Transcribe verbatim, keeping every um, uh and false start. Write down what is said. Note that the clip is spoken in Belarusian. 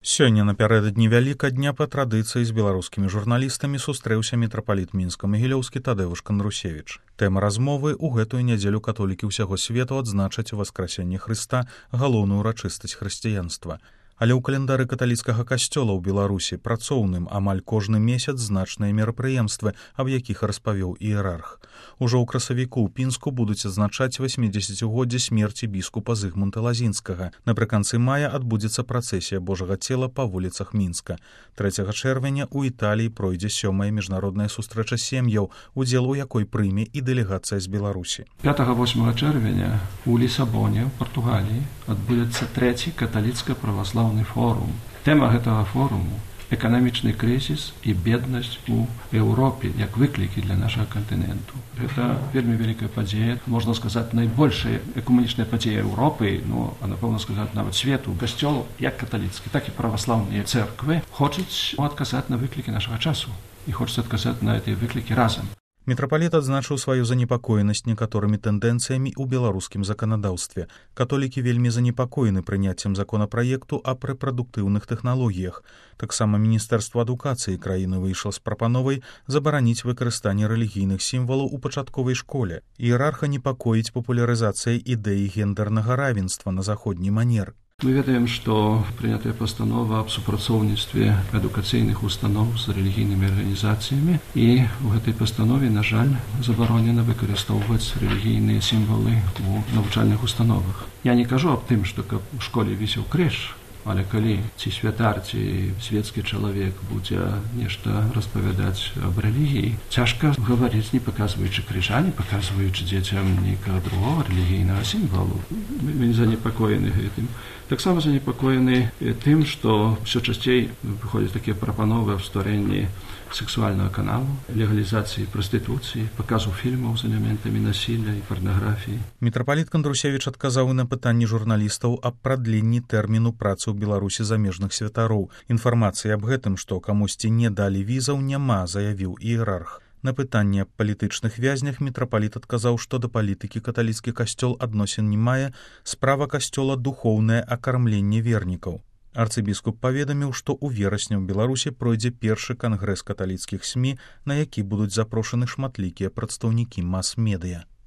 Сёння напярэдадні вялікадня па традыцыі з беларускімі журналістамі сустрэўся мітрапаліт мінска-магілёўскі Тадеуш Кандрусевіч. Тэма размовы ў гэтую нядзелю католікі ўсяго свету адзначаць васкрасенне Хрыста, галоўную урачыстасць хрысціянства. Але ў календары каталіцкага касцёла ў Беларусі працоўным амаль кожны месяц значныя мерапрыемствы, аб якіх распавёў іерарх. Ужо ў красавіку ў Пінску будуць адзначаць васьмідзесяцігоддзе смерці біскупа Зыгмунта Лазінскага. Напрыканцы мая адбудзецца працэсія Божага цела па вуліцах Мінска. трэцяга чэрвеня ў Італіі пройдзе сёмая міжнародная сустрэча сем'яў, удзел у якой прыме і дэлегацыя з Беларусі. пятага-восьмага чэрвеня у Лісабоне, ў Партугаліі, адбудзецца трэці каталіцка-праваслаўны форум. Тэма гэтага форуму — эканамічны крызіс і беднасць у Еўропе як выклікі для нашага кантыненту. Гэта вельмі вялікая падзея, можна сказаць, найбольшая экумэнічная падзея Еўропы, ну, а напэўна сказаць, нават свету. Касцёл, як каталіцкі, так і праваслаўныя цэрквы хочуць адказаць на выклікі нашага часу і хочуць адказаць на гэтыя выклікі разам. Мітрапаліт адзначыў сваю занепакоенасць некаторымі тэндэнцыямі ў беларускім заканадаўстве. Католікі вельмі занепакоены прыняццем законапраекту аб рэпрадуктыўных тэхналогіях. Таксама Міністэрства адукацыі краіны выйшла з прапановай забараніць выкарыстанне рэлігійных сімвалаў у пачатковай школе. Іерарха непакоіць папулярызацыя ідэі гендэрнага равенства на заходні манер. Мы ведаем, што прынятая пастанова аб супрацоўніцтве адукацыйных устаноў з рэлігійнымі арганізацыямі, і ў гэтай пастанове, на жаль, забаронена выкарыстоўваць рэлігійныя сімвалы ў навучальных установах. Я не кажу аб тым, што каб у школе вісеў крыж, але калі ці святар, ці свецкі чалавек будзе нешта распавядаць аб рэлігіі, цяжка гаварыць, не паказваючы крыжа, не паказваючы дзецям нейкага другога рэлігійнага сімвалу. Мы занепакоены гэтым. Таксама занепакоены тым, што ўсё часцей выходзяць такія прапановы аб стварэнні сексуальнага каналу, легалізацыі прастытуцыі, паказу фільмаў з элементамі насілля і парнаграфіі. Мітрапаліт Кандрусевіч адказаў на пытанні журналістаў аб прадленні тэрміну працы ў Беларусі замежных святароў. Інфармацыі аб гэтым, што камусьці не далі візаў, няма, заявіў іерарх. На пытанне аб палітычных вязнях мітрапаліт адказаў, што да палітыкі каталіцкі касцёл адносін не мае, справа касцёла духоўнае акармленне вернікаў. Арцыбіскуп паведаміў, што ў верасні ў Беларусі пройдзе першы кангрэс каталіцкіх СМІ, на які будуць запрошаны шматлікія прадстаўнікі мас-медыя.